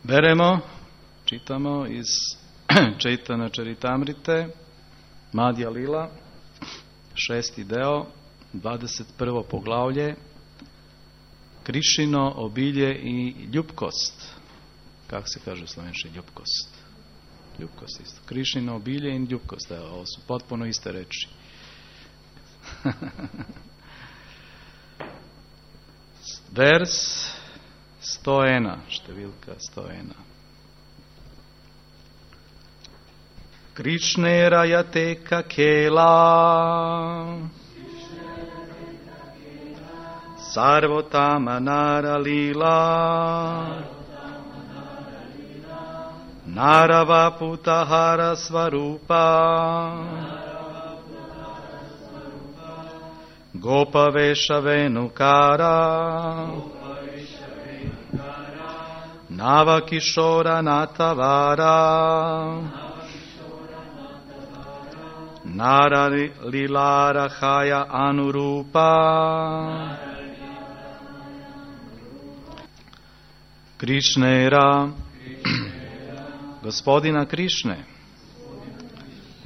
Beremo, čitamo iz Čaitanya Charitamrite, Madhya Lila, 6. deo, 21. poglavlje, Krišino obilje i ljubkost. Kako se kaže u slovenski ljubkost? Ljubkost isto. Krišino obilje i ljubkost. Evo, ovo su potpuno iste reči. Vers 101, številka 101. Krišne rajateka kela sarvotama naralila narava putahara svarupa gopa vesha venukara nava kishora natavara nara lilara haya anurupa Krišnera, gospodina Krišne,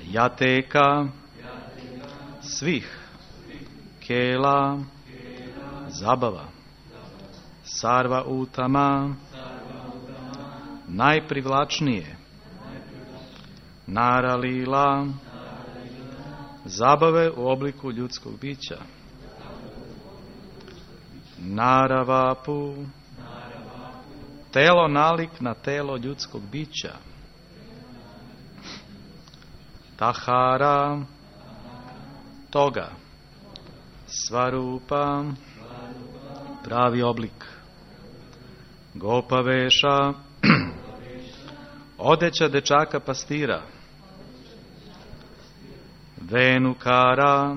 jateka svih, kela, zabava, sarva utama, najprivlačnije, naralila, zabave u obliku ljudskog bića, naravapu, telo nalik na telo ljudskog bića, tahara, toga, svarupa, pravi oblik, gopa veša, odeća dečaka pastira, venukara,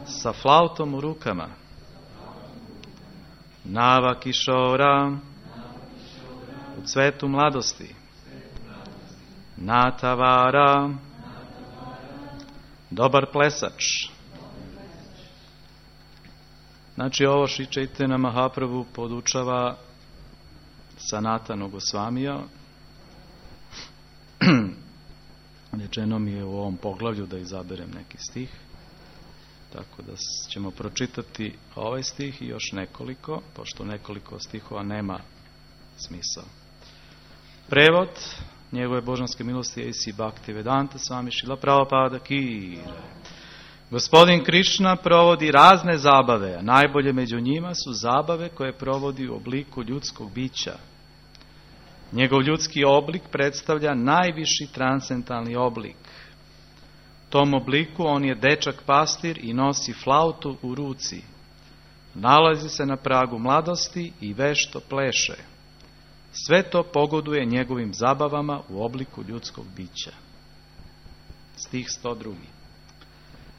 sa flautom u rukama, nava kišora, u cvetu mladosti, natavara, dobar plesač. Znači ovo Šri Čaitanya Mahaprabhu podučava Sanatana Gosvamija. Rečeno mi je u ovom poglavlju da izaberem neki stih, tako da ćemo pročitati ovaj stih i još nekoliko, pošto nekoliko stihova nema smisao. Prevod njegove božanske milosti A.C. Bhaktivedanta Swami Srila Prabhupada Ki. Gospodin Krišna provodi razne zabave, a najbolje među njima su zabave koje provodi u obliku ljudskog bića. Njegov ljudski oblik predstavlja najviši transcendentalni oblik. Tom obliku on je dečak pastir i nosi flautu u ruci. Nalazi se na pragu mladosti i vešto pleše. Sve to pogoduje njegovim zabavama u obliku ljudskog bića. Stih 102.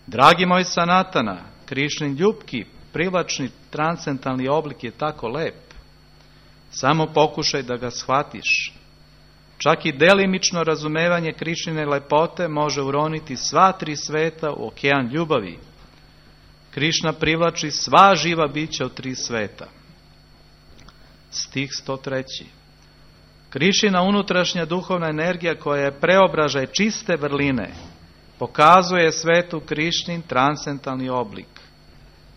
Dragi moj Sanatana, Krišnin ljubki, privlačni, transcendentalni oblik je tako lep. Samo pokušaj da ga shvatiš. Čak i delimično razumevanje Krišnine lepote može uroniti sva tri sveta u okean ljubavi. Krišna privlači sva živa bića u tri sveta. Stih 103. Krišina unutrašnja duhovna energija koja je preobražaj čiste vrline pokazuje svetu Krišnin transcendentalni oblik.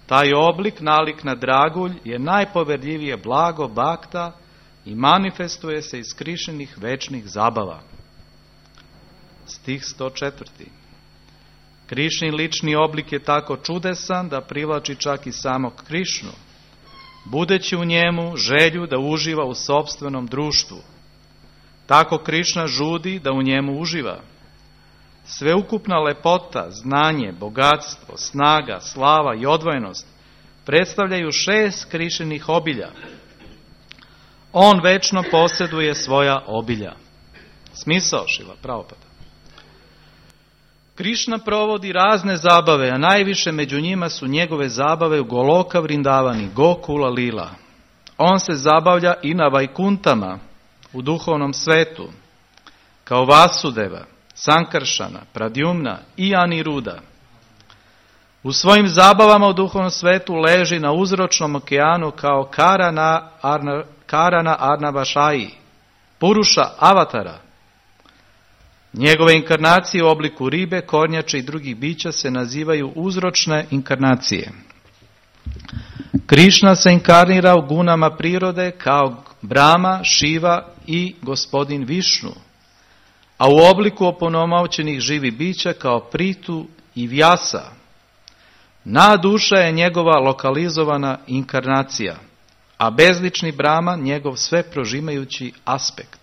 Taj oblik, nalik na dragulj, je najpoverljivije blago bhakta i manifestuje se iz Krišninih večnih zabava. Stih 104. Krišnin lični oblik je tako čudesan da privlači čak i samog Krišnu, budeći u njemu želju da uživa u sopstvenom društvu. Tako Krišna žudi da u njemu uživa. Sveukupna lepota, znanje, bogatstvo, snaga, slava i odvojenost predstavljaju 6 Krišninih obilja. On večno posjeduje svoja obilja. Smisao Šrila Prabhupada. Krišna provodi razne zabave, a najviše među njima su njegove zabave u Goloka Vrindavani, Gokula Lila. On se zabavlja i na Vajkuntama, u duhovnom svetu, kao Vasudeva, Sankaršana, Pradyumna i Aniruda. U svojim zabavama u duhovnom svetu leži na uzročnom okeanu kao Karana Arnavašaji, Puruša Avatara. Njegove inkarnacije u obliku ribe, kornjače i drugih bića se nazivaju uzročne inkarnacije. Krišna se inkarnira u gunama prirode kao Brahma, Šiva i gospodin Višnu, a u obliku opunomoćenih živih bića kao Pritu i Vjasa. Na duša je njegova lokalizovana inkarnacija, a bezlični Brahman njegov sve prožimajući aspekt.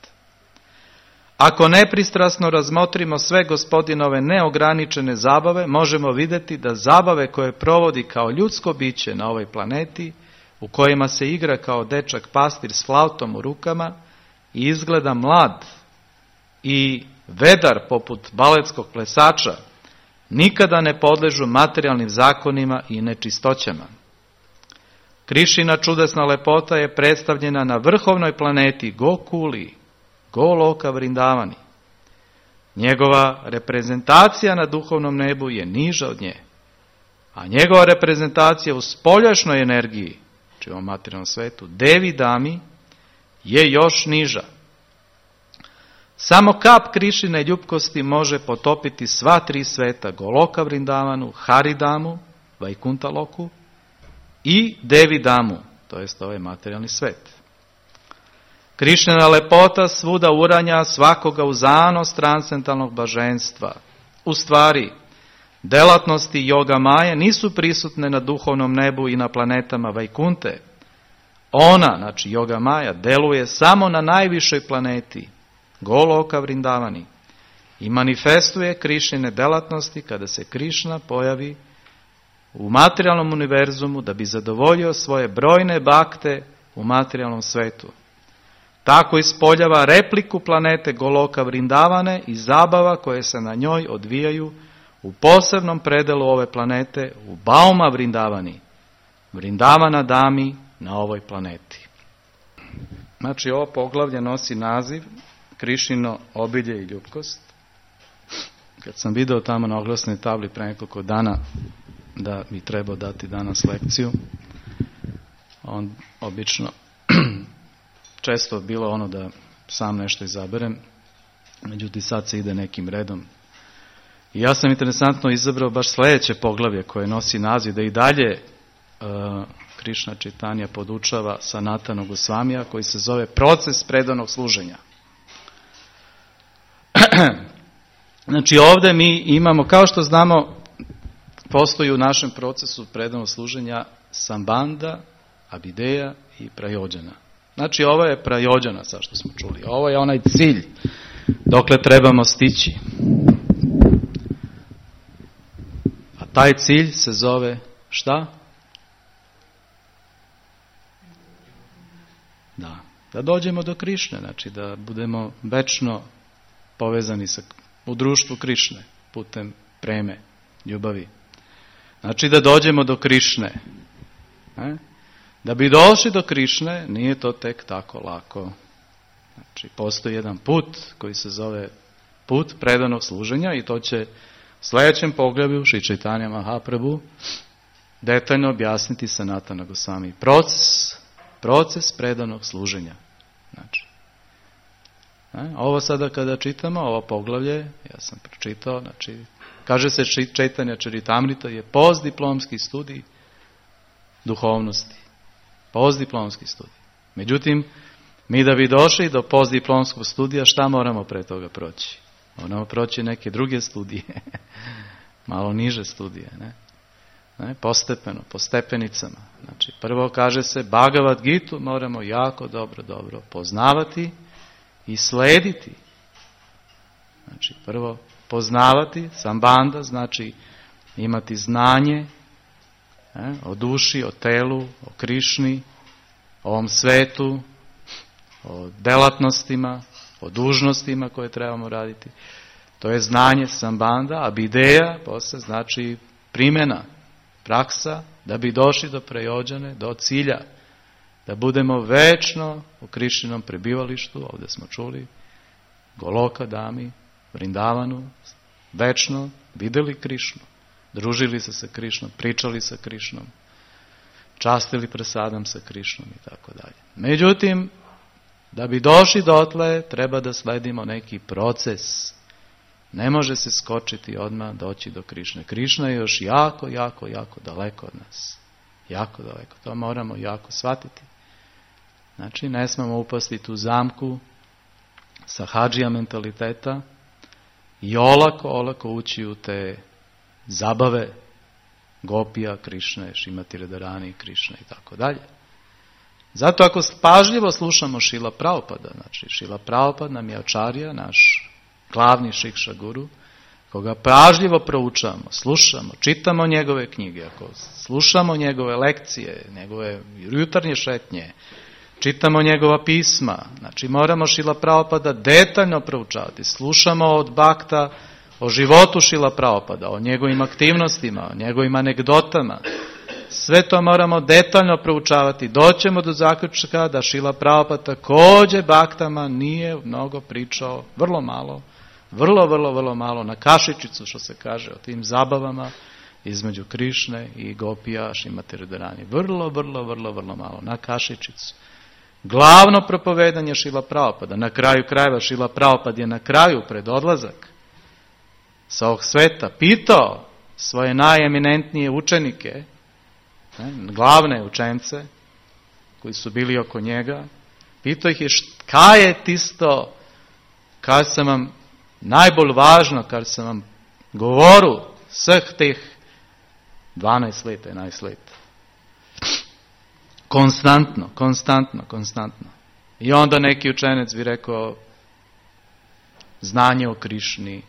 Ako nepristrasno razmotrimo sve gospodinove neograničene zabave, možemo vidjeti da zabave koje provodi kao ljudsko biće na ovoj planeti, u kojima se igra kao dečak pastir s flautom u rukama i izgleda mlad i vedar poput baletskog plesača, nikada ne podležu materijalnim zakonima i nečistoćama. Krišina čudesna lepota je predstavljena na vrhovnoj planeti Gokuli, Goloka Vrindavani. Njegova reprezentacija na duhovnom nebu je niža od nje, a njegova reprezentacija u spoljašnjoj energiji, znači u materijalnom svetu, Devi Dami, je još niža. Samo kap Krišine ljubkosti može potopiti sva tri sveta, Goloka Vrindavanu, Haridamu, Vajkuntaloku i Devi Damu, to jest ovaj materijalni svet. Krišnina lepota svuda uranja svakoga u zanos transcendentalnog blaženstva. U stvari, delatnosti Yoga Maje nisu prisutne na duhovnom nebu i na planetama Vajkunte. Ona, znači Yoga Maja, deluje samo na najvišoj planeti, Goloka Vrindavani, i manifestuje Krišnine delatnosti kada se Krišna pojavi u materijalnom univerzumu da bi zadovoljio svoje brojne bakte u materijalnom svetu. Tako ispoljava repliku planete Goloka Vrindavane i zabava koje se na njoj odvijaju u posebnom predelu ove planete, u Bauma Vrindavani, Vrindavana Dami na ovoj planeti. Znači, ovo poglavlje nosi naziv Krišino obilje i ljubkost. Kad sam video tamo na oglasnoj tabli pre nekoliko dana da mi treba dati danas lekciju, on obično često bilo ono da sam nešto izaberem, međutim sad se ide nekim redom. I ja sam interesantno izabrao baš sljedeće poglavlje koje nosi naziv da i dalje Krišna Čitanja podučava Sanatana Gosvamija, koji se zove proces predanog služenja. Znači ovdje mi imamo, kao što znamo, postoji u našem procesu predanog služenja Sambanda, Abideja i Prajođana. Znači ovo je Prajođana, sad što smo čuli. Ovo je onaj cilj dokle trebamo stići. A taj cilj se zove šta? Da dođemo do Krišne, znači da budemo večno povezani u društvu Krišne, putem preme, ljubavi. Znači da dođemo do Krišne. Da bi došli do Krišne, nije to tek tako lako. Znači, postoji jedan put koji se zove put predanog služenja i to će u sljedećem poglavlju Šri Čaitanja Mahaprabhu detaljno objasniti Sanatana Gosvami. Proces predanog služenja. Znači, ovo sada kada čitamo, ovo poglavlje, ja sam pročitao, znači, kaže se Čaitanja Čaritamrita je postdiplomski studij duhovnosti. Postdiplomski studij. Međutim, mi da bi došli do postdiplomskog studija, šta moramo pre toga proći? Moramo proći neke druge studije. Malo niže studije, ne? Postepeno, po stepenicama. Znači, prvo kaže se Bhagavad Gitu moramo jako dobro poznavati i slediti. Znači, prvo poznavati, Sambanda, znači imati znanje o duši, o telu, o Krišni, o ovom svetu, o delatnostima, o dužnostima koje trebamo raditi. To je znanje Sambanda, a Bideja posle znači primjena, praksa, da bi došli do Prajođane, do cilja, da budemo večno u Krišninom prebivalištu, ovdje smo čuli, Goloka Dami, Vrindavanu, večno vidjeli Krišnu, družili se sa Krišnom, pričali sa Krišnom, častili prasadam sa Krišnom i tako dalje. Međutim, Da bi došli dotle, treba da sledimo neki proces. Ne može se skočiti odmah doći do Krišne. Krišna je još jako, jako, jako daleko od nas. Jako daleko. To moramo jako shvatiti. Znači, ne smemo upasti tu zamku sa hadžija mentaliteta i olako ući u te zabave Gopija, Krišne, Šrimati Radharani, Krišne i tako dalje. Zato ako pažljivo slušamo Šrila Prabhupada, znači Šrila Prabhupada nam je ačarja, naš glavni šikša guru, koga pažljivo proučavamo, slušamo, čitamo njegove knjige, ako slušamo njegove lekcije, njegove jutarnje šetnje, čitamo njegova pisma, znači moramo Šrila Prabhupada detaljno proučavati, slušamo od Bhakta o životu Šrila Prabhupada, o njegovim aktivnostima, o njegovim anegdotama. Sve to moramo detaljno proučavati. Doćemo do zaključka da Šrila Prabhupada također Bhaktama nije mnogo pričao, vrlo malo, na kašičicu, što se kaže, o tim zabavama između Krišne i Gopija, Šrimati Radharani. Vrlo malo, na kašičicu. Glavno propovedanje Šrila Prabhupada, na kraju krajeva Šrila Prabhupada je na kraju pred odlazak sa ovog sveta pitao svoje najeminentnije učenike, glavne učence koji su bili oko njega, pitao ih je kaj je tisto, kaj sam vam najbolj važno, kar sam vam govoru vseh teh 12 let, 11 let. Konstantno. I onda neki učenec bi rekao znanje o Krišni,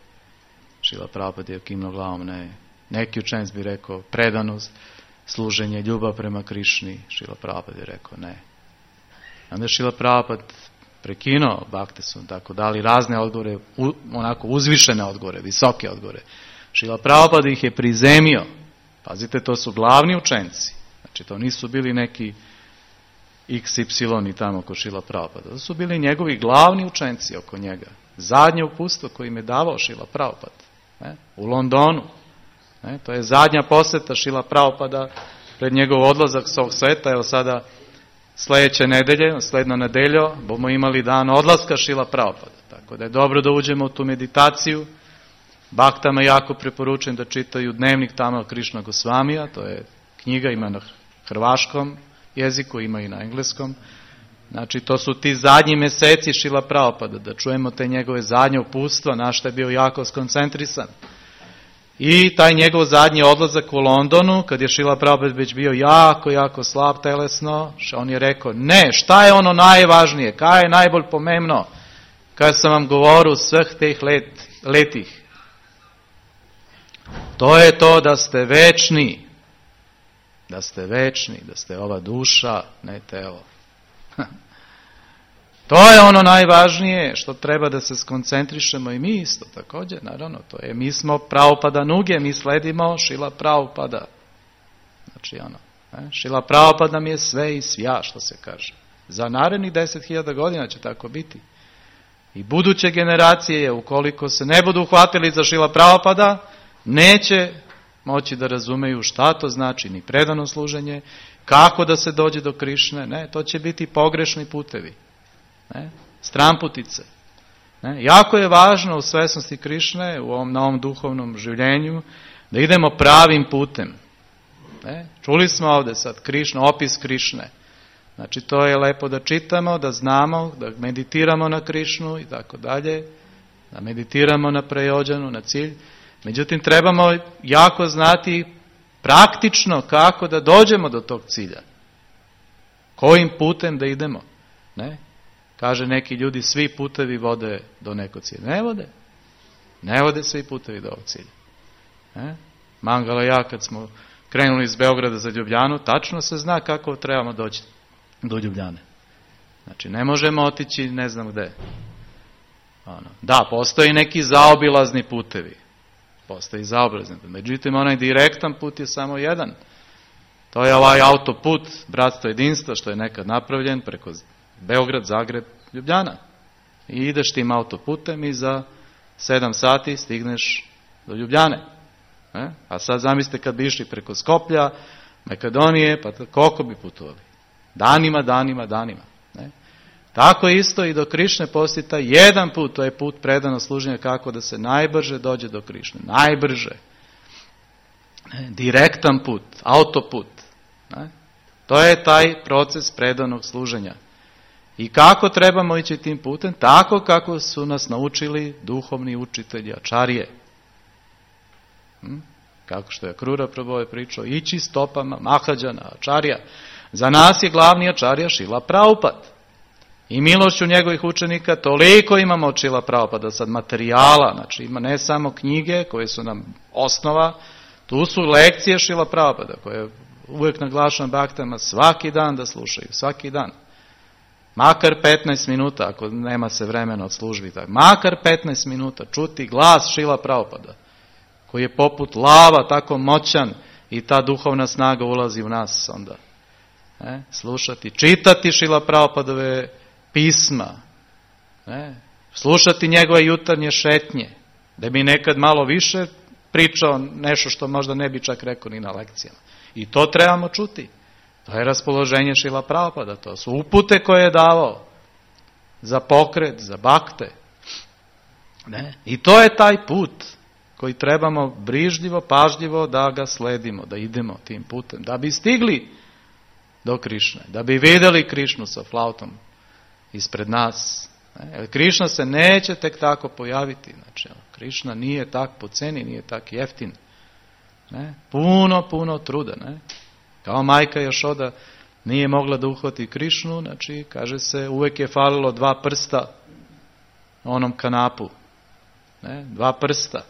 Šrila Prabhupada je kimnuo glavom, ne. Neki učenec bi rekao predanost, služenje, ljubav prema Krišni, Šrila Prabhupada je rekao ne. Onda je Šrila Prabhupada prekinuo Bhakte su tako dali razne odgovore, onako uzvišene odgovore, visoke odgovore. Šrila Prabhupada ih je prizemio. Pazite, to su glavni učenci. Znači, to nisu bili neki XY i tamo oko Šrila Prabhupada. To su bili njegovi glavni učenci oko njega. Zadnje uputstvo koje im je davao Šrila Prabhupada. U Londonu. To je zadnja posjeta Šrila Prabhupada pred njegov odlazak s ovog sveta. Evo sada sljedeće nedelje, sljedno nedeljo, bomo imali dan odlaska Šrila Prabhupada. Tako da je dobro da uđemo u tu meditaciju. Bhaktama jako preporučujem da čitaju dnevnik Tamal Krišna Gosvamija, to je knjiga, ima na hrvaškom jeziku, ima i na engleskom. Znači, to su ti zadnji mjeseci Šrila Prabhupada, da čujemo te njegove zadnje uputstva, na što je bio jako skoncentrisan. I taj njegov zadnji odlazak u Londonu, kad je Šrila Prabhupada već bio jako slab telesno, on je rekao, ne, šta je ono najvažnije, kaj je najbolj pomembno, kaj sam vam govorio sveh teh letih. To je to da ste večni, da ste ova duša, ne telo. To je ono najvažnije što treba da se skoncentrišemo i mi isto također, naravno, to je, mi smo Prabhupada nuge, mi sledimo Šrila Prabhupada. Znači Šrila Prabhupada nam je sve i svja, što se kaže. Za narednih 10.000 godina će tako biti. I buduće generacije, ukoliko se ne budu uhvatili za Šrila Prabhupada, neće moći da razumeju šta to znači ni predano služenje, kako da se dođe do Krišne, ne, to će biti pogrešni putevi, ne, stranputice. Ne. Jako je važno u svesnosti Krišne, na ovom duhovnom življenju, da idemo pravim putem. Ne. Čuli smo ovdje sad Krišna, opis Krišne. Znači to je lepo da čitamo, da znamo, da meditiramo na Krišnu i tako dalje, da meditiramo na prejođanu, na cilj. Međutim, trebamo jako znati praktično kako da dođemo do tog cilja. Kojim putem da idemo. Ne? Kaže neki ljudi, svi putevi vode do nekog cilja. Ne vode. Ne vode svi putevi do ovog cilja. Ne? Mangala i ja kad smo krenuli iz Beograda za Ljubljanu, tačno se zna kako trebamo doći do Ljubljane. Znači, ne možemo otići ne znam gde. Da, postoji neki zaobilazni putevi. Postoji zaobilazni. Međutim, onaj direktan put je samo jedan. To je ovaj autoput Bratstvo jedinstva što je nekad napravljen preko Beograd, Zagreb, Ljubljana. I ideš tim autoputem i za 7 sati stigneš do Ljubljane. A sad zamislite kad bi išli preko Skoplja, Makedonije, pa koliko bi putovali? Danima. Ne? Tako isto i do Krišne postoji taj jedan put, to je put predanog služenja kako da se najbrže dođe do Krišne. Najbrže. Direktan put, autoput. To je taj proces predanog služenja. I kako trebamo ići tim putem? Tako kako su nas naučili duhovni učitelji ačarije. Kako što je Akrura Prabhu pričao, ići stopama Mahađana, ačarija. Za nas je glavni ačarija Šrila Prabhupada. I milošću njegovih učenika toliko imamo od Šrila Prabhupada, sad materijala, znači ima ne samo knjige koje su nam osnova, tu su lekcije Šrila Prabhupada koje uvijek naglašavam baktama svaki dan da slušaju, svaki dan. Makar 15 minuta, ako nema se vremena od službi, tako. Makar 15 minuta čuti glas Šrila Prabhupada, koji je poput lava, tako moćan i ta duhovna snaga ulazi u nas onda. Slušati, čitati Šrila Prabhupadove pisma, slušati njegove jutarnje šetnje, da bi nekad malo više pričao nešto što možda ne bi čak rekao ni na lekcijama. I to trebamo čuti. To je raspoloženje Šrila Prabhupada, to su upute koje je davao za pokret, za bakte. I to je taj put koji trebamo brižljivo, pažljivo da ga sledimo, da idemo tim putem, da bi stigli do Krišne, da bi vidjeli Krišnu sa flautom ispred nas. Jer Krišna se neće tek tako pojaviti. Znači, Krišna nije tak po ceni, nije tak jeftin. Puno truda. Kao majka Jašoda nije mogla da uhvati Krišnu, znači, kaže se, uvijek je falilo 2 prsta na onom kanapu. 2 prsta.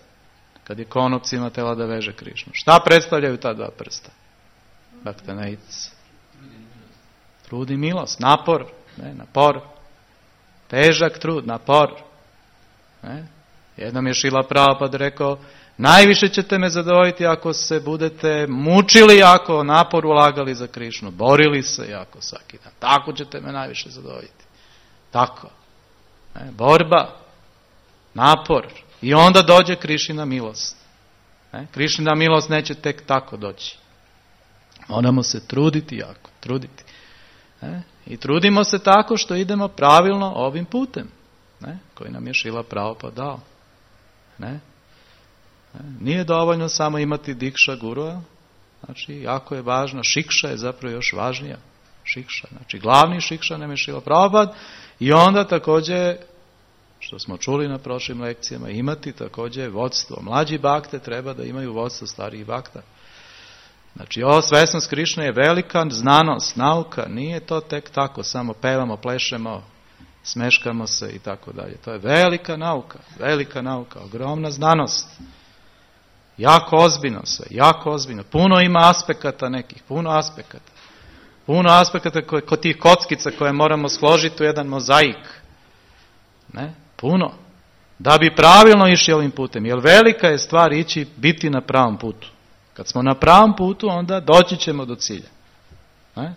Kad je konopcima tela da veže Krišnu. Šta predstavljaju ta 2 prsta? Baktanaic. Trud i milost, napor. Napor. Težak trud, napor. Jednom je Šrila Prabhupada rekao, najviše ćete me zadovoljiti ako se budete mučili jako, napor ulagali za Krišnu, borili se jako svaki dan. Tako ćete me najviše zadovoljiti. Tako. Borba, napor. I onda dođe Krišina milost. Krišina milost neće tek tako doći. Moramo se truditi jako, truditi. I trudimo se tako što idemo pravilno ovim putem, koji nam je Šrila Prabhupada dao. Nije dovoljno samo imati dikša gurua, znači jako je važno, šikša je zapravo još važnija. Šikša, znači glavni šikša nam je Šrila Prabhupada i onda također, što smo čuli na prošlim lekcijama, imati također vodstvo. Mlađi bakte treba da imaju vodstvo starijih bakta. Znači, ova svesnost Krišne je velika znanost, nauka, nije to tek tako, samo pevamo, plešemo, smeškamo se i tako dalje. To je velika nauka, ogromna znanost. Jako ozbiljno sve, jako ozbiljno. Puno ima aspekata nekih, puno aspekata kod tih kockica koje moramo složiti u jedan mozaik. Puno. Da bi pravilno išli ovim putem, jer velika je stvar biti na pravom putu. Kad smo na pravom putu, onda doći ćemo do cilja.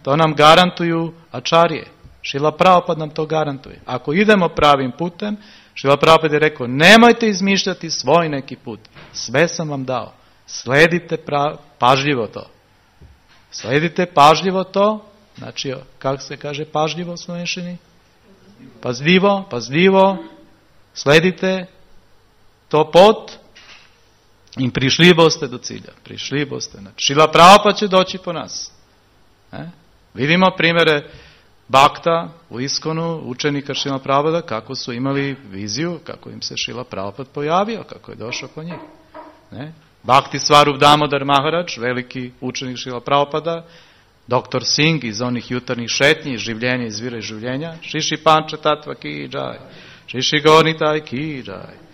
To nam garantuju ačarije. Šrila Prabhupada nam to garantuje. Ako idemo pravim putem, Šrila Prabhupada je rekao, nemojte izmišljati svoj neki put. Sve sam vam dao. Sledite pažljivo to. Sledite pažljivo to. Znači, kako se kaže pažljivo u slovenščini? Pazljivo. Sledite to pot. I prišli boste do cilja. Prišli boste. Znači, Šrila Prabhupada će doći po nas. Vidimo primjere bakta u Iskonu, učenika Šrila Prabhupada, kako su imali viziju, kako im se Šrila Prabhupada pojavio, kako je došao po njih. Bhakti Swarup Damodar Maharaj, veliki učenik Šrila Prabhupada, Dr. Singh iz onih jutarnjih šetnji, življenja iz vira i življenja, Šiši Panča Tatva ki džaj, Šiši Gornitaj ki džaj.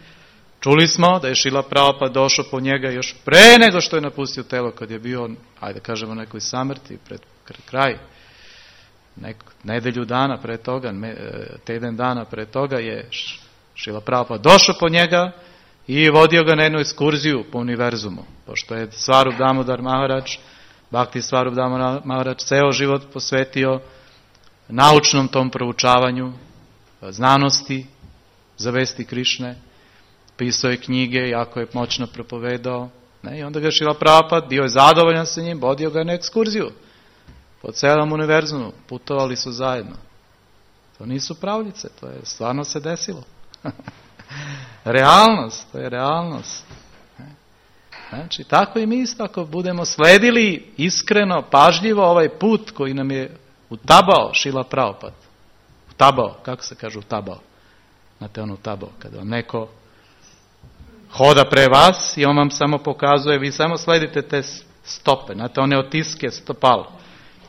Čuli smo da je Šrila Prabhupada došao po njega još pre nego što je napustio telo, kad je bio, ajde kažemo, nekoj samrti, pred kraj. Nedelju dana pre toga, teden dana pre toga je Šrila Prabhupada došao po njega i vodio ga na jednu ekskurziju po univerzumu. Pošto je Swarup Damodar Maharaj, Bhakti Swarup Damodar Maharaj, ceo život posvetio naučnom tom proučavanju, znanosti, za vesti Krišne, pisao je knjige, jako je moćno propovedao. I onda ga Šrila Prabhupada, bio je zadovoljan sa njim, vodio ga na ekskurziju. Po celom univerzumu putovali su zajedno. To nisu pravljice, to je stvarno se desilo. Realnost, to je realnost. Znači, tako i mi isto, ako budemo sledili iskreno, pažljivo ovaj put koji nam je utabao Šrila Prabhupada. Utabao, kako se kaže utabao? Znate ono utabao, kada vam neko hoda pre vas i on vam samo pokazuje, vi samo sledite te stope, znate one otiske stopala.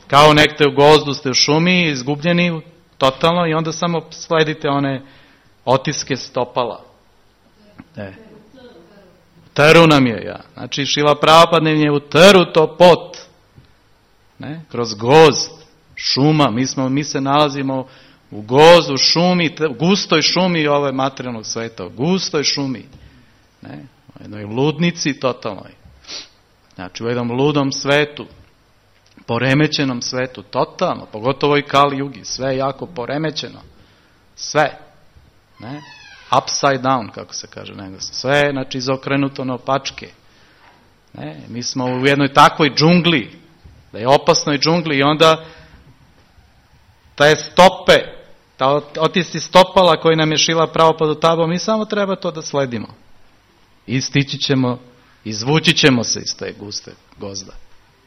Kao nekte u gozdu ste u šumi, izgubljeni totalno i onda samo sledite one otiske stopala. Trru nam je, Znači, Šrila Prabhupada nam je u trru to pot. Kroz gozd, šuma, mi se nalazimo u gozdu, šumi, gustoj šumi ove materijalnog sveta, gustoj šumi. U jednoj ludnici totalnoj. Znači, u jednom ludom svetu, poremećenom svetu, totalno, pogotovo i Kali Jugi, sve je jako poremećeno. Sve. Upside down, kako se kaže na engleskom. Sve je, znači, izokrenuto na opačke. Mi smo u jednoj takvoj džungli, da je opasnoj džungli i onda te stope, otisci stopala koji nam je Šrila Prabhupada utabao, mi samo treba to da sledimo. I stići ćemo, izvući ćemo se iz te guste gozda,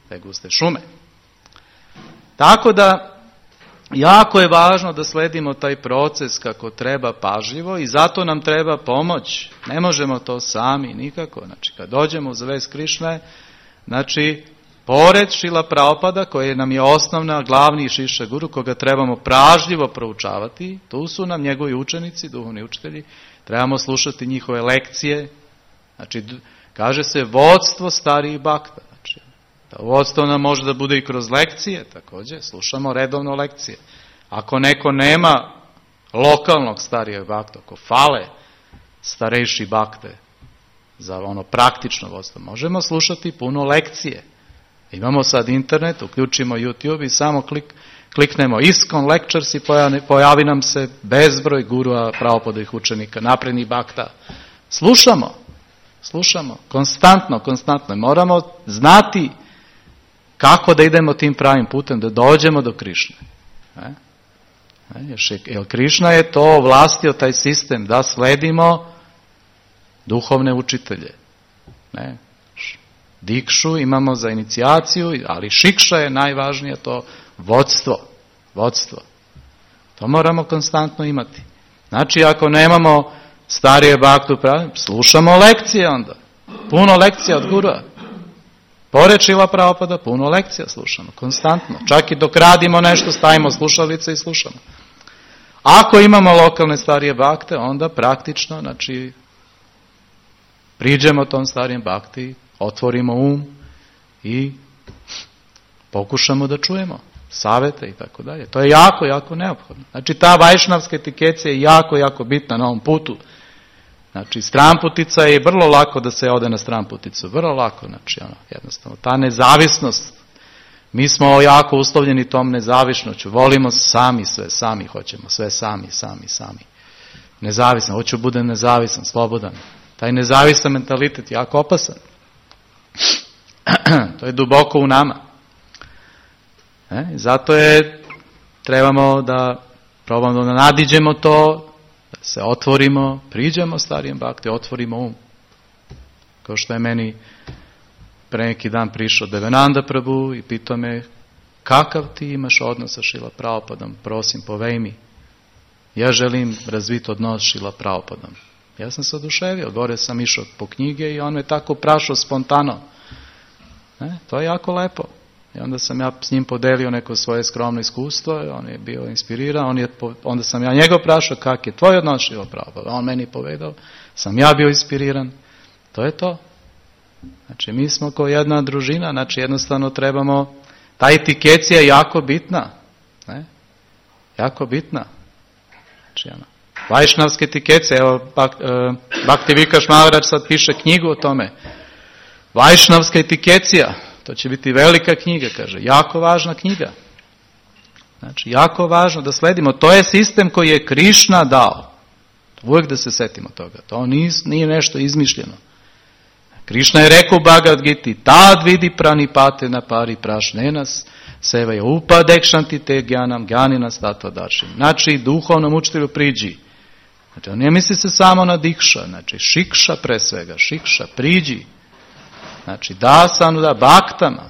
te guste šume. Tako da, jako je važno da sledimo taj proces kako treba pažljivo i zato nam treba pomoć. Ne možemo to sami nikako. Znači, kad dođemo u zavest Krišne, znači, pored Šrila Prabhupada, koji nam je osnovna, glavni šiša guru, koga trebamo pažljivo proučavati, tu su nam njegovi učenici, duhovni učitelji, trebamo slušati njihove lekcije. Znači, kaže se vodstvo starijih bakta. Znači, da vodstvo nam može da bude i kroz lekcije, također, slušamo redovno lekcije. Ako neko nema lokalnog starijeg bakta, ako fale starejši bakte za ono praktično vodstvo, možemo slušati puno lekcije. Imamo sad internet, uključimo YouTube i samo kliknemo ISKCON Lectures i pojavi nam se bezbroj gurua, Prabhupadovih učenika, naprednih bakta. Slušamo, konstantno. Moramo znati kako da idemo tim pravim putem, da dođemo do Krišne. Jer Krišna je to ovlastio taj sistem, da sledimo duhovne učitelje. Dikšu imamo za inicijaciju, ali šikša je najvažnije, to vodstvo. To moramo konstantno imati. Znači, ako nemamo starije baktu, slušamo lekcije onda. Puno lekcija od gurua. Pored Šrila Prabhupada, puno lekcija slušamo, konstantno. Čak i dok radimo nešto, stavimo slušalice i slušamo. Ako imamo lokalne starije bakte, onda praktično, znači, priđemo tom starijem bakti, otvorimo i pokušamo da čujemo savete i tako dalje. To je jako, jako neophodno. Znači, ta vajšnavska etikecija je jako, jako bitna na ovom putu. Znači, stranputica je vrlo lako da se ode na stranputicu. Vrlo lako, znači, jednostavno. Ta nezavisnost, mi smo jako uslovljeni tom nezavisnoću. Volimo sami sve, sami hoćemo, sve sami. Nezavisan, hoću budem nezavisan, slobodan. Taj nezavisan mentalitet je jako opasan. To je duboko u nama. Zato trebamo da probamo da nadiđemo to, da se otvorimo, priđemo starijem bakti, otvorimo Kao što je meni pre neki dan prišao Devananda Prabhu i pitao me kakav ti imaš odnos sa Šrila Prabhupadom, prosim povej mi. Ja želim razviti odnos s Šrila Prabhupadom. Ja sam se oduševio, gore sam išao po knjige i on me tako prašao spontano. To je jako lepo. I onda sam ja s njim podelio neko svoje skromno iskustvo, on je bio inspiriran, onda sam ja njega prašao kak je tvoj odnos s Šrila Prabhupadom. On meni povedao, sam ja bio inspiriran. To je to. Znači mi smo kao jedna družina, znači jednostavno trebamo, ta etikecija je jako bitna. Jako bitna. Znači vajšnavske etikecije, evo Bhakti Vikash Maharaj sad piše knjigu o tome. Vajšnavska etikecija, to će biti velika knjiga, kaže, jako važna knjiga. Znači, jako važno da sledimo. To je sistem koji je Krišna dao. Uvijek da se setimo toga. To nije nešto izmišljeno. Krišna je rekao u Bhagavad Giti, tad vidi pranipate na pari prašnenas, Sevaya upadekšanti te gjanam, gjanina stato dašim. Znači, duhovnom učitelju priđi. Znači, on ne misli se samo na dikša, znači, šikša pre svega, šikša, priđi. Znači, da baktama,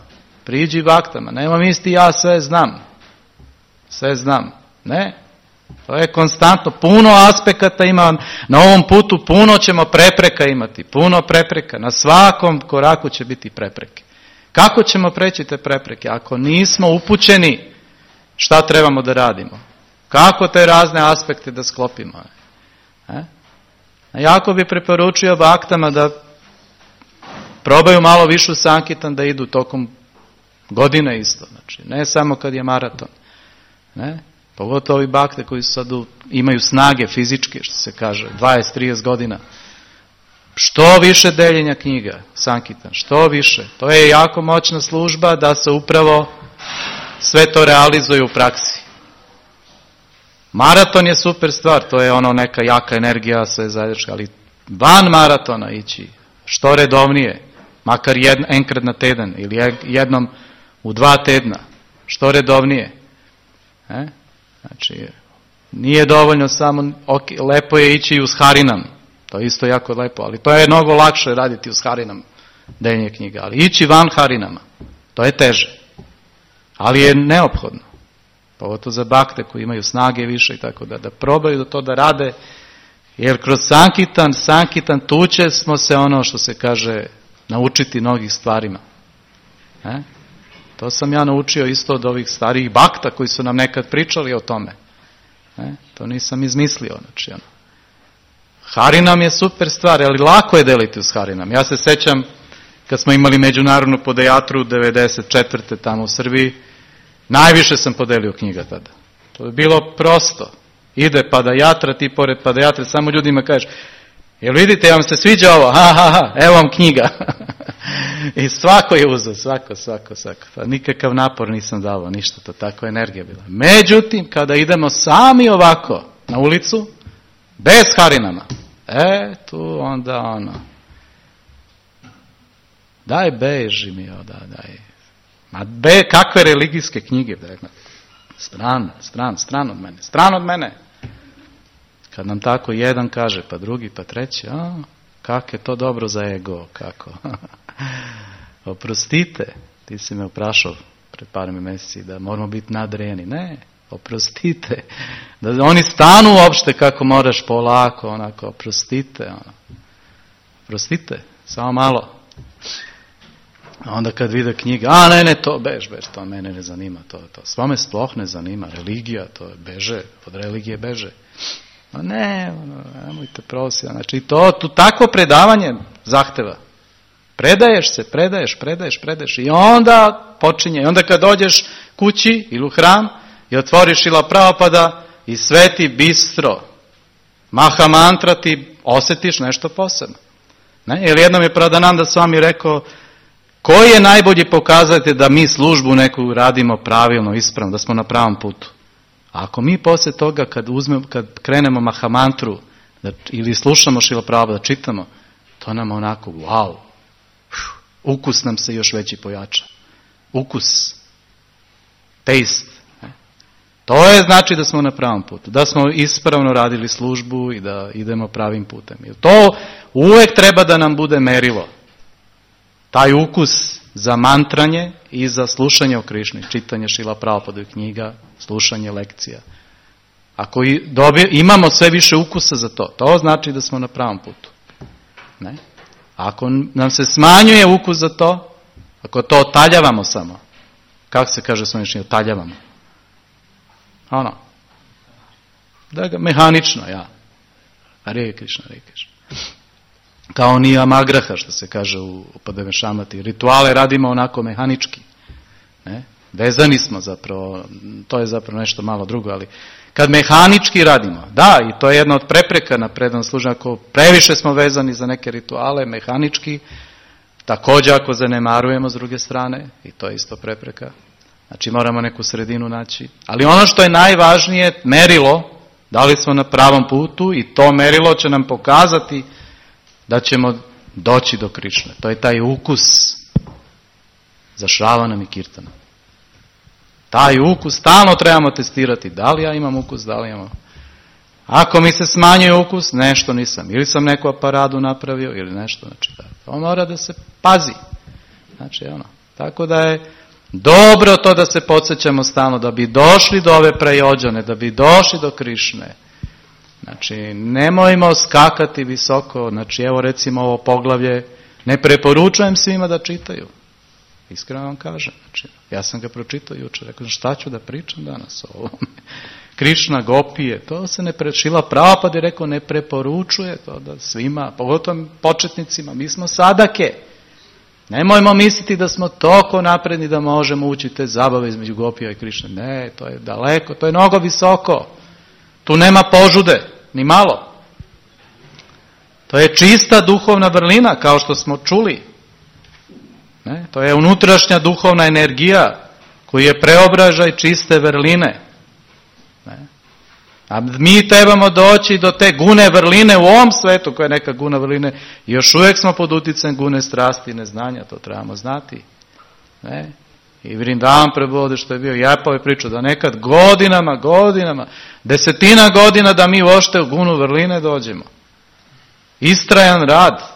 priđi baktama. Nema misli ja sve znam. Sve znam. Ne. To je konstantno. Puno aspekata ima na ovom putu, puno ćemo prepreka imati. Puno prepreka. Na svakom koraku će biti prepreke. Kako ćemo preći te prepreke? Ako nismo upućeni šta trebamo da radimo? Kako te razne aspekte da sklopimo? Jako bi preporučio baktama da probaju malo višu sankitan da idu tokom godine isto. Znači, ne samo kad je maraton. Ne? Pogotovo ovi bakte koji sad imaju snage fizičke, što se kaže, 20-30 godina. Što više deljenja knjiga, sankitan, što više. To je jako moćna služba da se upravo sve to realizuje u praksi. Maraton je super stvar, to je ono neka jaka energija, sve zajednička, ali van maratona ići, što redovnije, makar enkrat na teden ili jednom u 2 tedna, što redovnije. Znači, nije dovoljno samo, lepo je ići uz Harinam, to je isto jako lepo, ali to je mnogo lakše raditi uz Harinam, deljenje knjiga, ali ići van Harinama, to je teže, ali je neophodno. Pogotovo za bakte koji imaju snage više i tako da probaju to da rade, jer kroz sankitan tu će smo se ono što se kaže naučiti mnogih stvarima. To sam ja naučio isto od ovih starijih bakta koji su nam nekad pričali o tome. To nisam izmislio. Znači, Harinam je super stvar, ali lako je deliti uz Harinam. Ja se sećam kad smo imali međunarodnu podejatru 94. tamo u Srbiji, najviše sam podelio knjiga tada. To je bilo prosto. Ide padajatra, ti pored padajatre, samo ljudima kažeš, jel vidite, vam se sviđa ovo? Evo vam knjiga. I svako je uzeo, svako. Pa nikakav napor nisam davao, ništa, to tako energija bila. Međutim, kada idemo sami ovako na ulicu, bez Harinama, tu onda ono, daj beži mi, daj. Ma kakve religijske knjige, stran od mene. Kad nam tako jedan kaže, pa drugi, pa treći, kako je to dobro za ego, kako. Oprostite, ti si me oprašao pred par mjeseci da moramo biti nadrejeni. Ne, oprostite. Da oni stanu uopšte kako moraš polako, onako, oprostite. Oprostite, samo malo. A onda kad vide knjiga, ne, to bež, to mene ne zanima, to. Svome sploh ne zanima, religija, to beže, od religije beže. Nemojte prositi. Znači, to takvo predavanje zahteva. Predaješ se, predaješ i onda počinje. I onda kad dođeš kući ili u hram i otvoriš Šrila Prabhupada i sve ti bistro, maha mantra ti osjetiš nešto posebno. Jer jednom je Pradananda Swami rekao, koji je najbolji pokazatelj da mi službu neku radimo pravilno, ispravno, da smo na pravom putu? A ako mi poslije toga kad krenemo mahamantru ili slušamo Šrila Prabhupada, čitamo, to nam onako, wow, ukus nam se još veći pojača. Ukus, taste. To je znači da smo na pravom putu, da smo ispravno radili službu i da idemo pravim putem. I to uvijek treba da nam bude merilo. Taj ukus za mantranje i za slušanje o Krišni, čitanje Šrila Prabhupadovih knjiga, slušanje lekcija. Ako imamo sve više ukusa za to znači da smo na pravom putu. Ne? Ako nam se smanjuje ukus za to, ako to otaljavamo samo, kako se kaže svojnični, otaljavamo? Da ga mehanično, Hare Krišna. Kao ni amagraha, što se kaže u Padevešamati. Rituale radimo onako mehanički. Ne? Vezani smo zapravo, to je zapravo nešto malo drugo, ali kad mehanički radimo, i to je jedna od prepreka na predanom služenju, ako previše smo vezani za neke rituale, mehanički, također ako zanemarujemo s druge strane, i to je isto prepreka. Znači moramo neku sredinu naći. Ali ono što je najvažnije, merilo, da li smo na pravom putu i to merilo će nam pokazati da ćemo doći do Krišne. To je taj ukus za Šravanam i Kirtanom. Taj ukus stalno trebamo testirati. Da li ja imam ukus, da li imam. Ako mi se smanjuje ukus, nešto nisam. Ili sam neku aparatu napravio, ili nešto. Znači, to mora da se pazi. Znači, tako da je dobro to da se podsjećamo stalno, da bi došli do ove prejođane, da bi došli do Krišne. Znači, nemojmo skakati visoko. Znači, evo recimo ovo poglavlje, ne preporučujem svima da čitaju. Iskreno vam kažem. Znači, ja sam ga pročitao jučer, rekao, šta ću da pričam danas o ovome? Krišna, gopije, to se ne Šrila Prabhupada je rekao, ne preporučuje to da svima, pogotovo početnicima, mi smo sadake. Nemojmo misliti da smo toliko napredni da možemo ući te zabave između gopija i Krišne. Ne, to je daleko, to je mnogo visoko. Tu nema požude, ni malo. To je čista duhovna vrlina, kao što smo čuli. Ne? To je unutrašnja duhovna energija koji je preobražaj čiste vrline. Ne? A mi trebamo doći do te gune vrline u ovom svetu, koja je neka guna vrline, i još uvijek smo pod utjecajem gune strasti i neznanja, to trebamo znati. Ne? I Vrindavan Prabhu, što je bio Japove pričao, da nekad godinama, desetina godina da mi uopšte u gunu vrline dođemo. Istrajan rad.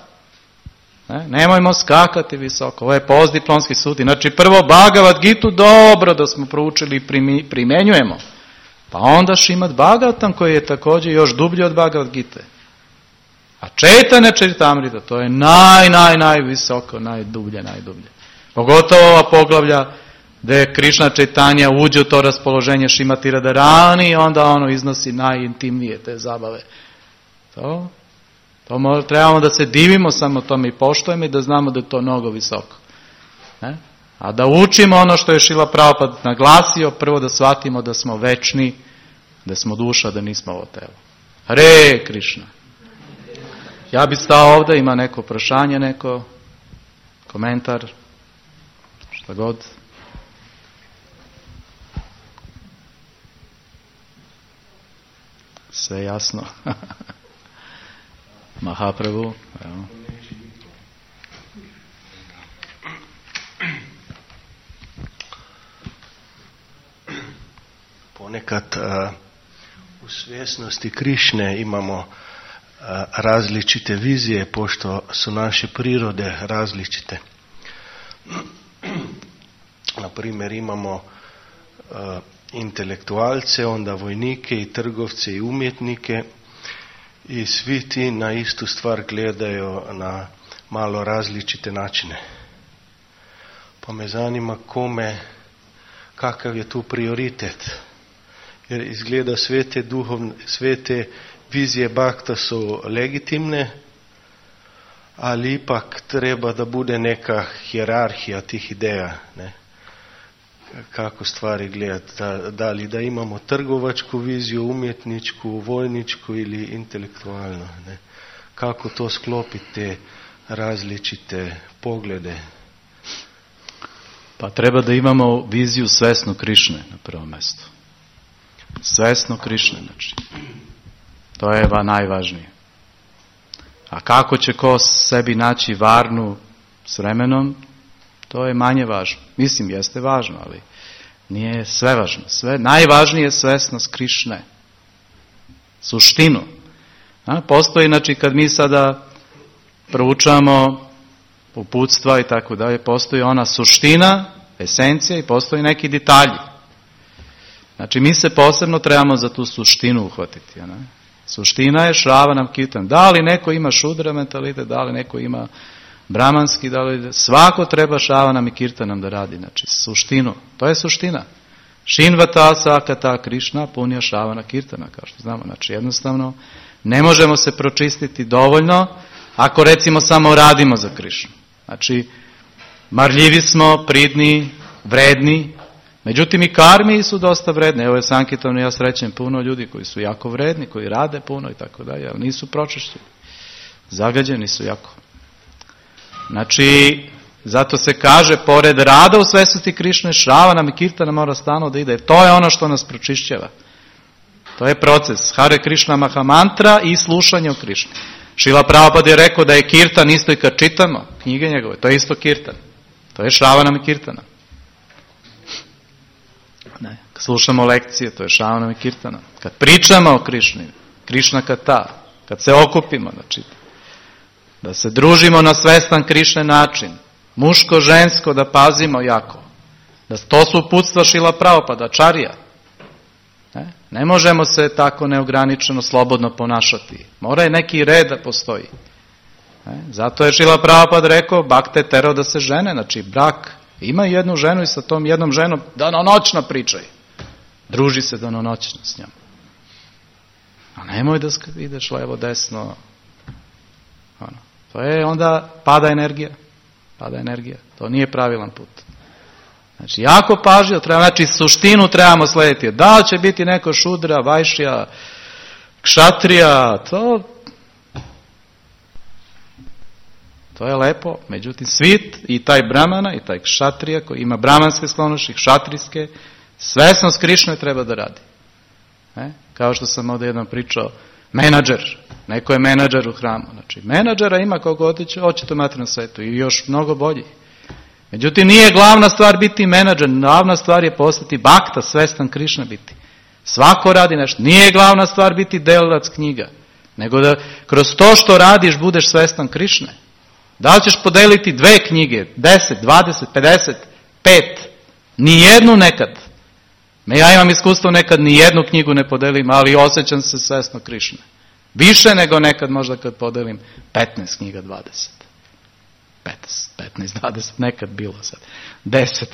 Nemojmo skakati visoko. Ovo je postdiplomski studij. Znači prvo Bhagavad Gitu dobro da smo proučili i primjenjujemo. Pa onda Šrimad Bhagavatam koji je također još dublji od Bhagavad Gite. A Čaitanja Čaritamrita to je najvisoko, najdublje. Pogotovo ova poglavlja gdje Krišna Čaitanja uđe u to raspoloženje Šrimati Radharani i onda iznosi najintimnije te zabave. To trebamo da se divimo samo tome i poštujemo i da znamo da je to mnogo visoko. Ne? A da učimo ono što je Šrila Prabhupada naglasio, prvo da shvatimo da smo večni, da smo duša, da nismo ovo telo. Hare Krišna. Ja bi stao ovdje, ima neko prašanje, neko komentar, šta god. Sve jasno. Mahaprabhu, evo. Ponekad u svjesnosti Krišne imamo različite vizije, pošto su naše prirode različite. Na primjer, imamo intelektualce, onda vojnike i trgovce i umjetnike, i svi ti na istu stvar gledaju na malo različite načine. Pa me zanima kakav je tu prioritet. Jer izgleda sve te vizije Bhakta su legitimne, ali ipak treba da bude neka hijerarhija tih ideja. Ne? Kako stvari gledati. Da li da imamo trgovačku viziju, umjetničku, vojničku ili intelektualnu. Ne? Kako to sklopiti te različite poglede. Pa treba da imamo viziju svesno Krišne na prvom mjestu. Svesno Krišne, znači. To je najvažnije. A kako će ko sebi naći varnu s vremenom, to je manje važno. Mislim, jeste važno, ali nije sve važno. Najvažnije je svesnost Krišne. Suštinu. Postoji, znači, kad mi sada proučavamo uputstva i tako dalje, postoji ona suština, esencija i postoji neki detalji. Znači, mi se posebno trebamo za tu suštinu uhvatiti. Ne? Suština je Šravanam Kirtanam. Da li neko ima šudra mentalitet, da li neko ima bramanski, svako treba Šravanam i Kirtanam da radi. Znači, suštinu. To je suština. Šinvata sakata Krišna punja Šravana Kirtana, kao što znamo. Znači, jednostavno, ne možemo se pročistiti dovoljno ako recimo samo radimo za Krišnu. Znači, marljivi smo, pridni, vredni, međutim i karmi su dosta vredne. Evo je Sankirtanu, ja srećem puno ljudi koji su jako vredni, koji rade puno i tako dalje, ali nisu pročišćeni. Zagađeni su jako. Znači, zato se kaže, pored rada u svesnosti Krišne, Šravanam i Kirtana mora stalno da ide. To je ono što nas pročišćava. To je proces. Hare Krišna Mahamantra i slušanje o Krišni. Šrila Prabhupada je rekao da je Kirtan isto i kad čitamo knjige njegove. To je isto Kirtan. To je Šravanam i Kirtana. Ne. Kad slušamo lekcije, to je Šravanam i Kirtanam. Kad pričamo o Krišni, Krišna Kata, kad se okupimo, znači, da se družimo na svestan Krišne način, muško, žensko, da pazimo jako. Da to su uputstva Šrila Prabhupada, Čarija. Ne možemo se tako neograničeno, slobodno ponašati. Mora je neki red da postoji. Zato je Šrila Prabhupada rekao, bakte tero da se žene, znači brak, ima jednu ženu i sa tom jednom ženom danonoćno pričaj. Druži se danonoćno s njom. A nemoj da ideš levo, desno. To je onda pada energija. Pada energija. To nije pravilan put. Znači, jako pažljivo treba, znači suštinu trebamo slediti. Da li će biti neko šudra, vajšija, kšatrija, to je lepo. Međutim, svit i taj brahmana i taj kšatrija koji ima brahmanske sklonosti, kšatrijske, svesnost Krišne treba da radi. Kao što sam ovdje jednom pričao, menadžer. Neko je menadžer u hramu. Znači, menadžera ima koliko hoćete u materijalnom svetu i još mnogo bolji. Međutim, nije glavna stvar biti menadžer, glavna stvar je postati bakta, svestan Krišna biti. Svako radi nešto. Nije glavna stvar biti delilac knjiga, nego da kroz to što radiš budeš svestan Krišne. Da li ćeš podeliti 2 knjige, 10, 20, 50, 5, nijednu nekad. Ja imam iskustvo nekad nijednu knjigu ne podelim, ali osjećam se svesno Krišne. Više nego nekad možda kad podelim 15 knjiga, 20. 15, 20, nekad bilo sad. 10.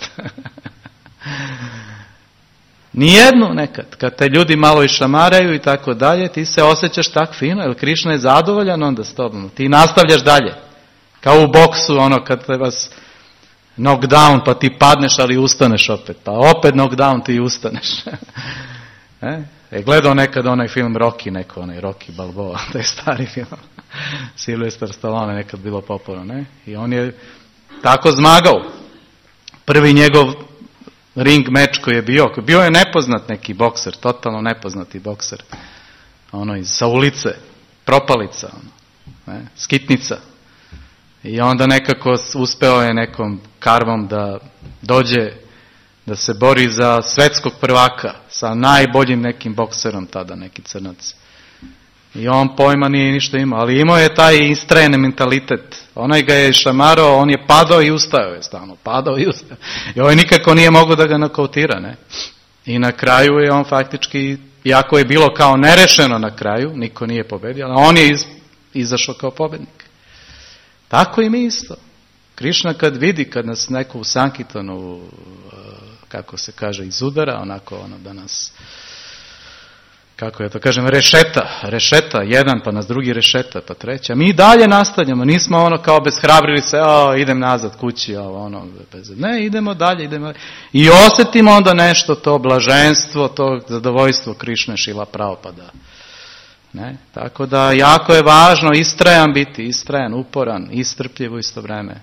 Nijednu nekad. Kad te ljudi malo išamaraju i tako dalje, ti se osjećaš tak fino, jer Krišna je zadovoljan onda s tobom. Ti nastavljaš dalje. Kao u boksu, kad te vas knockdown, pa ti padneš, ali ustaneš opet. Pa opet knockdown, ti ustaneš. Gledao nekad onaj film Rocky, onaj Rocky Balboa, taj stari film. Sylvester Stallone nekad bilo popularno, ne? I on je tako zmagao. Prvi njegov ring meč koji je bio je nepoznat neki bokser, totalno nepoznati bokser. Sa ulice, propalica, skitnica. I onda nekako uspeo je nekom karvom da dođe, da se bori za svetskog prvaka sa najboljim nekim bokserom tada, neki crnac. I on pojma nije ništa imao, ali imao je taj istrajeni mentalitet. Onaj ga je šamarao, on je padao i ustao je stalno, padao i ustao. I ovaj nikako nije mogao da ga nokautira, ne? I na kraju je on faktički, iako je bilo kao nerešeno na kraju, niko nije pobedio, ali on je izašao kao pobednik. Tako i mi isto. Krišna kad vidi, kad nas neko u Sankirtanu, kako se kaže, izudara, onako da nas, kako ja to kažem, rešeta, jedan, pa nas drugi rešeta, pa treći. A mi dalje nastavljamo, nismo kao bezhrabrili se, idem nazad kući, ne, idemo dalje. I osjetimo onda nešto, to blaženstvo, to zadovoljstvo Krišne, Šrila Prabhupada. Ne? Tako da jako je važno istrajan, uporan, istrpljiv u isto vreme.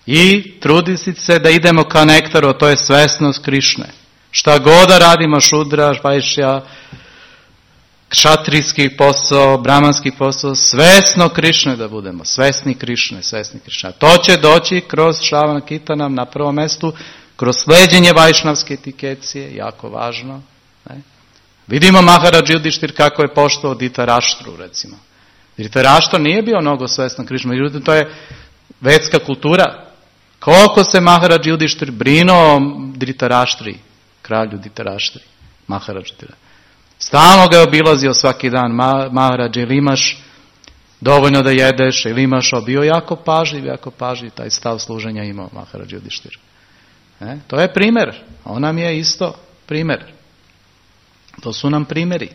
I truditi se da idemo ka nektaru, to je svesnost Krišne. Šta god da radimo, šudra, vajšja, kšatrijski posao, brahmanski posao, svesno Krišne da budemo, svesni Krišne. To će doći kroz Šravana Kirtanam na prvom mestu, kroz sleđenje vajšnavske etikecije, jako važno. Ne? Vidimo Maharadž Judištir kako je poštovao Dhritaraštru, recimo. Dhritaraštra nije bio mnogo svestan Krišne, međutim to je vedska kultura. Koliko se Maharadž Judištir brinuo o Dhritaraštri, kralju Dhritaraštri, Maharadž Judištir. Stalno ga je obilazio svaki dan, Maharadž, ili imaš dovoljno da jedeš, ili imaš, bio jako pažljiv, taj stav služenja imao Maharadž Judištir. To je primjer, on nam je isto primjer. To su nam primjeri.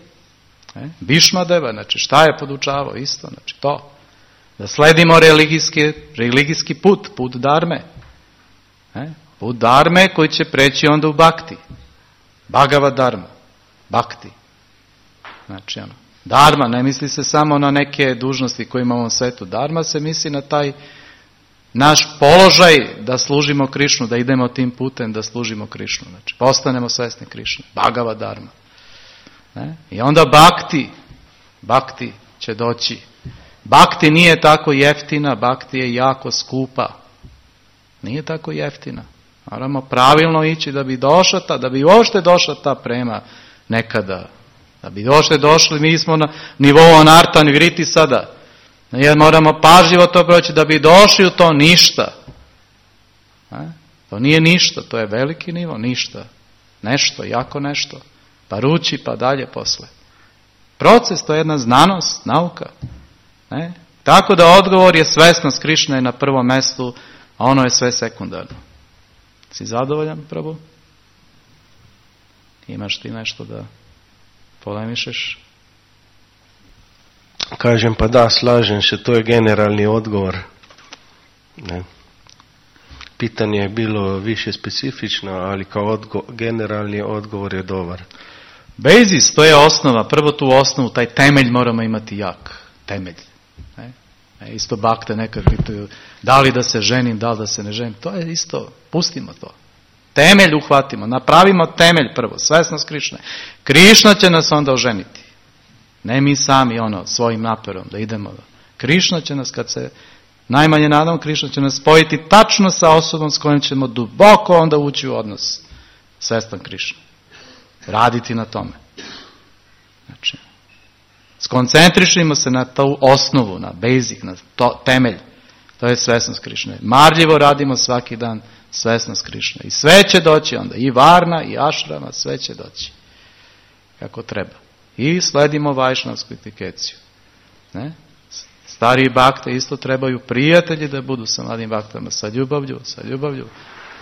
Bhišmadeva, znači šta je podučavao isto, znači to. Da sledimo religijski put dharme. Put dharme koji će preći onda u bhakti. Bhagavad dharma, bhakti. Znači dharma, ne misli se samo na neke dužnosti koje imamo u ovom svetu. Dharma se misli na taj naš položaj da služimo Krišnu, da idemo tim putem da služimo Krišnu. Znači postanemo svesni Krišne. Bhagavad dharma. I onda bhakti će doći. Bhakti nije tako jeftina, bhakti je jako skupa. Nije tako jeftina. Moramo pravilno ići da bi došla da bi uopšte došla ta prema nekada. Da bi uopšte došli, mi smo na nivou anarta nivriti sada. Jer moramo pažljivo to proći da bi došli u to ništa. To nije ništa, to je veliki nivo, ništa. Nešto, jako nešto. Pa ruči, pa dalje posle. Proces, to je jedna znanost, nauka. Ne? Tako da odgovor je svesnost Krišne je na prvom mjestu, a ono je sve sekundarno. Si zadovoljan, Prabhu? Imaš ti nešto da polemišeš? Kažem, pa da, slažem se, to je generalni odgovor. Ne. Pitanje je bilo više specifično, ali kao generalni odgovor je dobar. Basis, to je osnova. Prvo tu osnovu, taj temelj moramo imati jak. Temelj. Ne? Isto bakte nekad pitaju, da li da se ženim, da li da se ne ženim. To je isto, pustimo to. Temelj uhvatimo, napravimo temelj prvo, svesnost Krišne. Krišna će nas onda oženiti. Ne mi sami svojim naporom da idemo. Krišna će nas, kad se najmanje nadamo, Krišna će nas spojiti tačno sa osobom s kojom ćemo duboko onda ući u odnos. Svestan Krišna. Raditi na tome. Znači, skoncentrišimo se na tu osnovu, na basic, na temelj. To je svesnost Krišne. Marljivo radimo svaki dan svesnost Krišne. I sve će doći onda. I varna, i ašrama, sve će doći. Kako treba. I sledimo vajšnavsku etikeciju. Ne? Stariji bakte isto trebaju prijatelji da budu sa mladim baktama. Sa ljubavlju.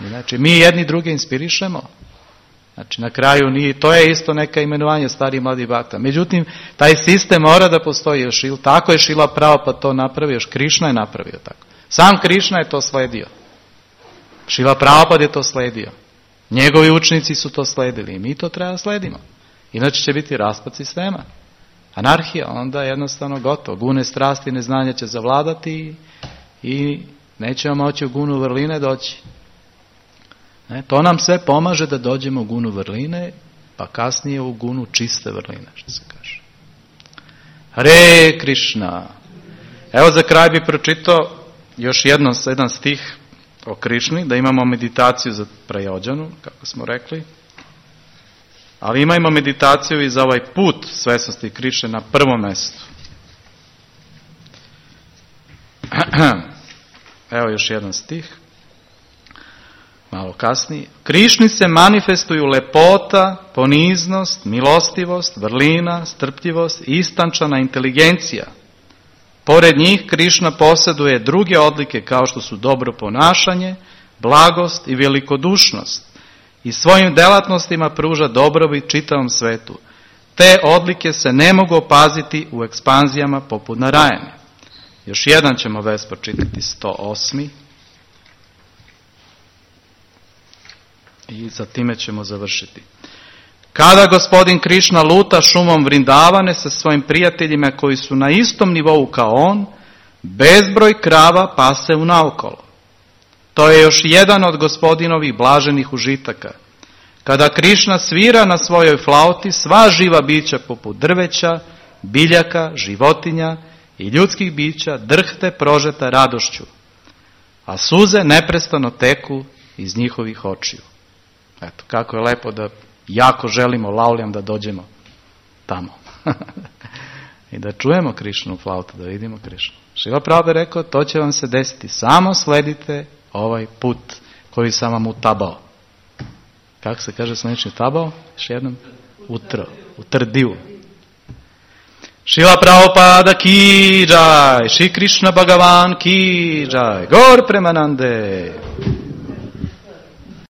Znači, mi jedni druge inspirišemo. Znači, na kraju to je isto neka imenovanje starih mladih bakta. Međutim, taj sistem mora da postoji. Tako je Šila Prabhupada to napravio. Još Krišna je napravio tako. Sam Krišna je to sledio. Šila Prabhupada je to sledio. Njegovi učenici su to sledili. I mi to treba sledimo. Inače će biti raspad sistema. Anarhija, onda jednostavno gotovo. Gune strasti, neznanja će zavladati i nećemo moći u gunu vrline doći. To nam sve pomaže da dođemo u gunu vrline, pa kasnije u gunu čiste vrline, što se kaže. Hare Krišna. Evo za kraj bi pročitao još jedan stih o Krišni, da imamo meditaciju za Prajođanu, kako smo rekli. Ali imajmo meditaciju i za ovaj put svesnosti Krišne na prvom mjestu. Evo još jedan stih. Malo kasnije. Krišni se manifestuju lepota, poniznost, milostivost, vrlina, strpljivost i istančana inteligencija. Pored njih Krišna posjeduje druge odlike kao što su dobro ponašanje, blagost i velikodušnost. I svojim delatnostima pruža dobrobit čitavom svetu. Te odlike se ne mogu opaziti u ekspanzijama poput Narajane. Još jedan ćemo vez pročitati, 108. I za time ćemo završiti. Kada gospodin Krišna luta šumom Vrindavane sa svojim prijateljima koji su na istom nivou kao on, bezbroj krava pase unaokolo. To je još jedan od gospodinovih blaženih užitaka. Kada Krišna svira na svojoj flauti, sva živa bića poput drveća, biljaka, životinja i ljudskih bića drhte prožeta radošću, a suze neprestano teku iz njihovih očiju. Eto, kako je lepo da jako želimo lauljam da dođemo tamo. I da čujemo Krišnu flautu, da vidimo Krišnu. Šrila Prabhupada je rekao, to će vam se desiti. Samo sledite ovaj put koji sam vam utabao. Kako se kaže slanični tabao? Još jednom? Utrdio. Šrila Prabhupada ki jai, Šri Krišna Bhagavan ki jai, Gaur Premanande.